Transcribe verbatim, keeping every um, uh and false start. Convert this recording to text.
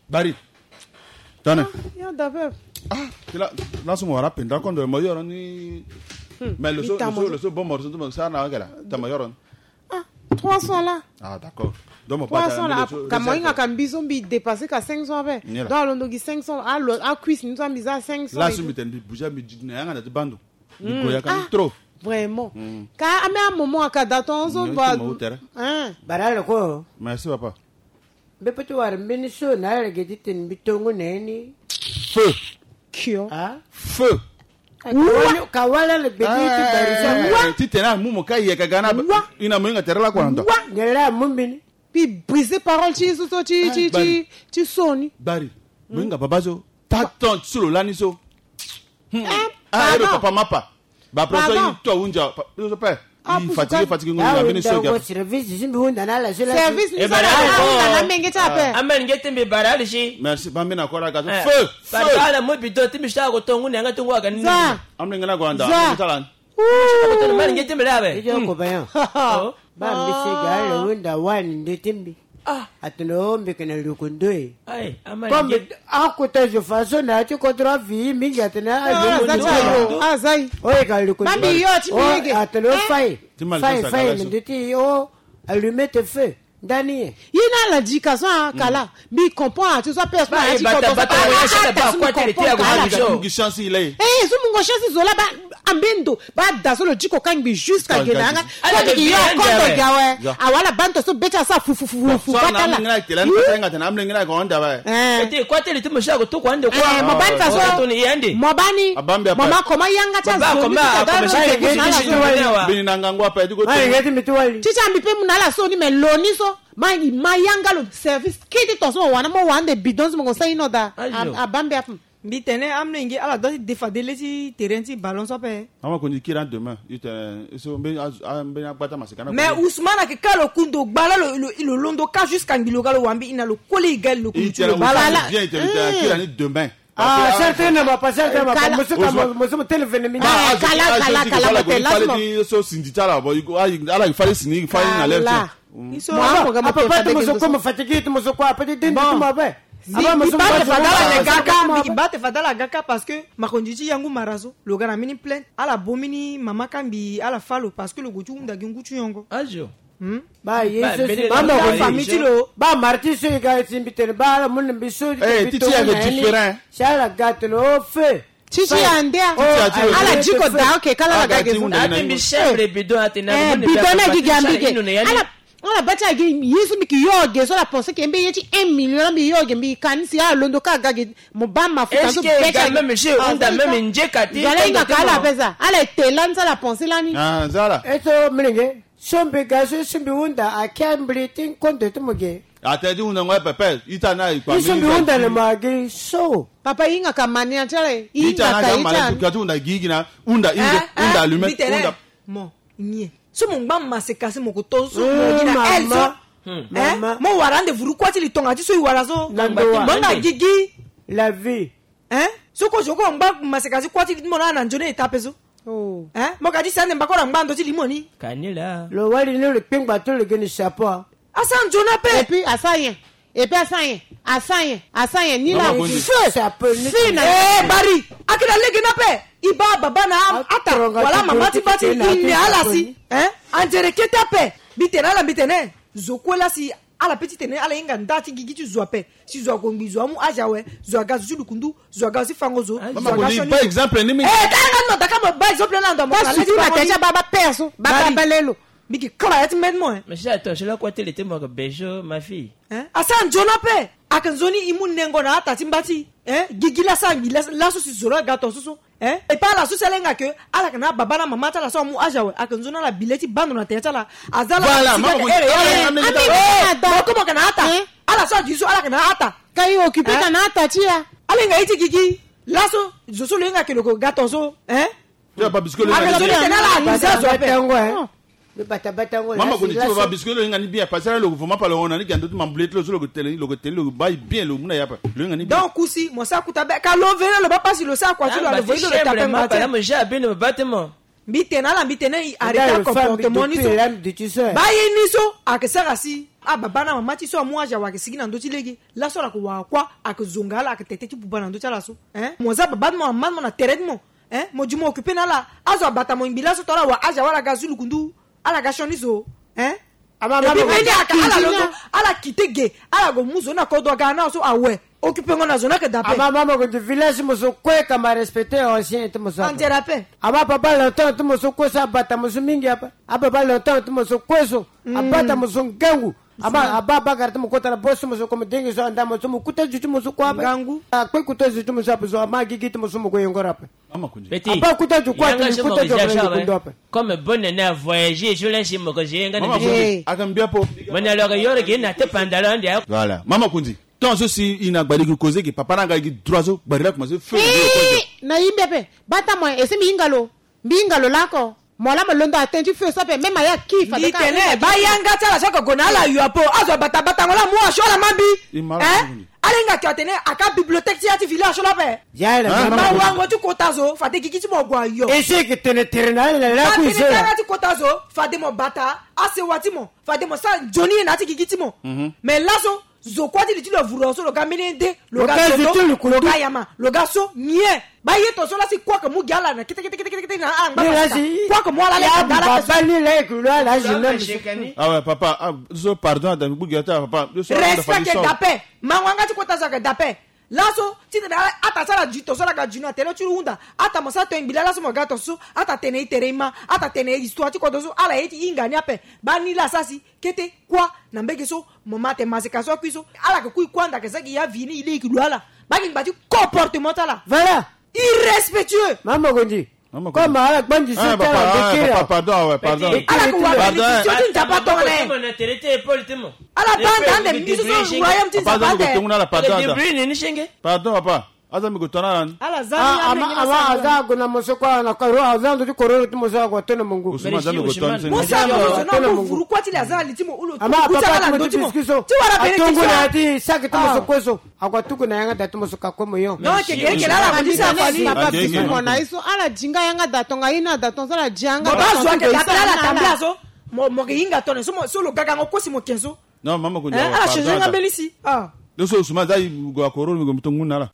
Bari. Tane. Ya dabe. Ah, ti la, la so mo wara pendra kondo mo yoro ni. Mais le so, le so, le so bon morceau mo sara na wangela. Tama yoro ni. Ah, trois cents là. Ah, d'accord. Donc mo trois cents là. Ka mo hinga ka mbi so mbi dépasser ka cinq cents ape. Donc alondo gi cinq cents. Ah, lo, ah, cuisse ni so mbi za cinq cents. La so mbi tene mbi bouger mbi di na yanga na ti bando. Mbi goya ka ni trop. Vraiment. Ka ame a moment aka da ton so ba. Hein. Bara le ko. Merci papa. Mbe peti wara mbeni so na ala ge ti tene mbi tongo na ye ni. Feu. Kio. Ah? Feu. Ka wani, ka wala le gbe ti ti barisa. Wa. Ti tene amu mo ka yeka gana. Wa. Ina mo inga tere la kwa ndo. Wa. Ngere amu mbeni. Puis briser parole ti so so ti ti ti so ni. Bari. Mo inga baba so. Taton so lo lani so. Hmm. Ah, ebe papa mapa. Ba proso yi to hunja. Proso pe. Ah, fatigué, fatigué, ngon na mini so ga. Service zimbi hunda na la zela. Service ni bara hunda na menge ta pe. Amel nge tembe bara ali si. Merci, ba mena kora ga. Feu, feu. Bara ala mo bidon ti mi sa ko tongu ne nga tongu aga ni. Amel ngana gwanda. Talan. Mal nge tembe la be. Ijo ko bayan. Ba mi si ga le hunda wani nde tembe. Ah. Atene o mbi yeke na lokondo e. Comme akota zo faso na ya ti kodro avi mingi atene. Azai. O yeke na lokondo. Atene o fai. Fai, fai na ndö ti o allumette feu. Ndani e. Ye na ala di ka so akala. Mbi comprend ati so ape so na ya ti kodro so. Ala ata so mbi comprend. Ala ata so mbi comprend. Eh, so mungo chance zo la ba. Ambendo ba da so lo diko kangbi jusqu'à gena nga. Ko diki yo kondo gawe. Awala banto so beta sa fu fu fu fu batala. Ngina tela ni pesa nga tena amle ngina ko onda ba. Eh. Ete kwa tele ti mo sa ko to ko ande kwa. Eh, mo bani faso. Mo bani. Mama koma yanga ta zo. Bini na ngangu ape diko. Tita mbi pe mu na la so ni me lo ni so. Ma ma yanga lo service kiti to so wana mo wande bidon so mo ko sa ino da. Abambe ape. Mbi tene amolenge ala doit ti défendre le ti terrain ti ballon so ape. Ama koni kiri an demain. Ite so mbe a mbe na gbata masika na. Mais Ousmane ake ka lo kundo gbala lo lo londo ka jusqu'à ngbi lo ga lo wambi ina lo kole igal lo kundo ti lo gbala. Bien ite ite kiri ani demain. Ah, certains ne va pas, certains va pas. Monsieur ka monsieur mo téléphone mini. Kala kala kala mo téléphone. So sindi tala bo ala fale sini fale na le. Papa ti mo so comme fatigué ti mo so quoi peut-être dindi ti mo ape. Mbi bate fadala le gaka, mbi bate fadala gaka parce que makonzi ti yangu mara so lo ga na mini plainte ala bo mini mama ka mbi ala fa lo parce que lo gue ti hunda gi ngu ti yongo. Azo. Ba ye so si ba mo famille ti lo ba mara ti so e ga si mbi tene ba ala mu na mbi so ti ti ya différent. Si ala ga tene o feu. Titi ande. Ala diko da oke kala la ga ge so. Ati mbi chambre bidon ati na bidon na gi ga mbi ge. Ala Ala bati agi ye so mbi ki yo ge so la pensé ke mbi ye ti un million mbi yo ge mbi kani si ala londo ka ga ge mo ba mafuta so beti agi. Même je hunda même nje kati. Zala inga ka ala pesa ala ete lani sa la pensé lani. Ah zala. Eto mlenge so mbi ga so so mbi hunda akia mbili ti nkondo ti mo ge. Ate ti hunda ngo pepe ita na ikpa. So mbi hunda na mo agi so. Papa inga ka mani atiale inga ka ita. Ita na ga mani ka ti hunda gigi na hunda inge hunda allume hunda. Mo nyen so mo ngba maseka si mo ko to so mo gi na el so. Mo wara ande vuru kuâ ti li tonga ti so e wara so. Mo na gigi. La vie. So ko zo ko ngba maseka si kuâ ti li ti mo na ala na nzoni e ta ape so. Mo ka ti si ande mbakora ngba ndo ti li mo ni. Ka ni laa. Lo wali ni lo kpengba ti lo geni chapeau. Asara nzoni ape. Et puis asara nyen? Et puis asara nyen? Asara nyen? Asara nyen? Ni la feu. Feu na. Eh bari. Ake na lege ni ape. I baa baba na ata wala mama ti baa ti i ne ala si. Anzere kete ape. Mbi tene ala mbi tene zo kue laa si ala pe ti tene ala hinga nda ti gigi ti zo ape. Si zo agongbi zo amu age awe. Zo aga zo ti lukundu. Zo aga zo ti fango zo. Zo aga sioni. Par exemple ni mbi. Eh ka yanga ni mo daka mo baa exemple na ndo mo na lege ti baa mo ni. Ba père so ba baa baa lelo. Mbi gi kala ya ti mbeni mo. Monsieur, attention la kue tele ti mo ayeke bejo ma fille. Asara nzoni ape. Ayeke nzoni e mu nengo na ata ti mba ti e. Gigi la sara ngbi laso si zo la ga ton so so. E pa ala so si ala hinga ke ala yeke na ababa na amama ti ala so amu age awe ayeke nzoni ala bi le ti baa ndo na tere ti ala. Aza la. Voilà mama ko ere ya. Mo komo ayeke na ata. Ala so agi so ala yeke na ata. Ka e occupe ka na ata ti e. Ala hinga ye ti gigi laso zo so lo hinga ke lo yeke ga ton so. Mama koni ti baba biscuit lo hinga ni bien parce que lo vo mapa lo hona ni gando ti mambule ti lo so lo ko tene ni lo ko tene ni lo ko bai bien lo mu na ya pa lo hinga ni bien. Donc kusi mo sa kuta be ka lo vele lo ba pasi lo sa kua ti lo alo vele lo tape ngba ti. Mbi tene ala mbi tene i arrêter comportement ni so. Ba ye ni so ayeke sara si Ababa na mama ti so amu age awe ayeke sigi na ndö ti lege. Laso ala yeke wara kuâ, ayeke zonga ala, ayeke tete ti buba na ndö ti ala so. Hein? Mo za baba ti mo, mama ti mo na tere ti mo. Hein? Mo di mo occuper na ala. Azo abata mo ngbi laso to ala wara age awe ala ga zu lukundu. Ala ga sioni zo. Hein? Ama, ama, ama, mbeni aka ala londo, ala kite ge, ala gue mu zo ni na kodro aga na so awe. Occuper ngo na zo ni ayeke dape. Ama, ama, mo gue di village mo so kue ka ma respecter ancien ti mo so. Ande dape. Ama papa longtemps ti mo so kue so abata mo so mingi ape. Ababa longtemps ti mo so kue so abata mo so ngangu. Ama aba, abakara ti mo kota na bosi ti mo so comme dengi so anda mo so mo kuta zu ti mo so kue ape. Ngangu. Akpe kuta zu ti mo so ape so ama gigi ti mo so mo gue yongoro ape. Mama Kundi. Petit. Aba kuta zu kue, yanga ti mo kuta zu kue ape. Comme bonne année à voyager, je laisse mo ko je yanga. Mama Kundi. Aka mbia po. Mo na lo ka yoro ge na te pantalon ndia. Voilà. Mama Kundi. Tant so si i na gbadi ki causer ki papa na nga ki droit so gbadi la commencer feu. Na yimbi ape. Bata mo ese mi yinga lo. Mbi hinga lo lako. Mo laa mo londo atene ti feu so ape, même aya ki fade ka. Tene ba yanga ti ala so ake gue na ala yo apo. Azo abata batango laa mu asio ala mambi. Hein? Ala hinga ke atene aka bibliothèque ti ya ti village so laa ape. Ya la. Hein? Ma wango ti kota zo fade gigi ti mo ague ayo. Ese ke tene tere na ala la ku izo la. Tene tere ti kota zo fade mo bata asewa ti mo. Fade mo sara nzoni ye na ya ti gigi ti mo. Mhm. Mais laso zo kuâ ti li ti lo vuru so lo ga mbeni nde. Lo ga zo ti lo ga yama lo ga so nyen. Baye to so la si kuâ ke mu gi ala na kete kete kete kete na ala ngba. Kuâ ke mu ala le ga ala ke so. Ni la ke lo ala je même. Ah ouais papa, ah, so pardon ada mi gbu gi ata papa. Respect ke dape. Mango yanga ti kota zo ake dape. Laso titene ata so ala di to so ala ga di no atene lo ti lo hunda. Ata mo sara to e ngbi la laso mo ga to so ata tene e tere e ma ata tene histoire ti kodro so ala ye ti hinga ni ape. Bani la sara si kete kuâ na mbege so mo ma te maseka so akui so. Ala ke kui kuâ nda ke za gi ya vie ni e le e ke lo ala. Bani ngba ti comportement ti ala. Voilà. Irrespectueux. Mama Gondi. Comme ala gbandi so ti ala mbekere. Pardon, ah ouais, pardon. Ala ko wa bénédiction ti nzapa tongana. Ala banda ande mbi so so royaume ti nzapa ande. Pardon papa. Aza mi ko tona lan. Ala za ni ama ama aza ago na mo so kua na koro aza ndo ti koro ti mo so ago tona mo ngu. Usman za mi ko tona mo ngu. Mo sa mo so na mo vuru kua ti le aza na li ti mo ulo. Ama papa ti mo ti biski so. Ti wara bénédiction. Atongo na ya ti saki ti mo so kue so. Ago atuku na yanga da ti mo so ka kue mo yo. Non ke ke ke la la mo ti sa fani. Papa biski mo na iso ala dinga yanga da tonga ina da tonga ala dinga. Mo ba zo ake da pe ala tambula so. Mo ke yinga tone so lo gagango kosi mo ken so. Non mama ko ndia. Ala change nga mbeni si. Ah. Lo so usuma za i go akoro mi go muto ngu na ala.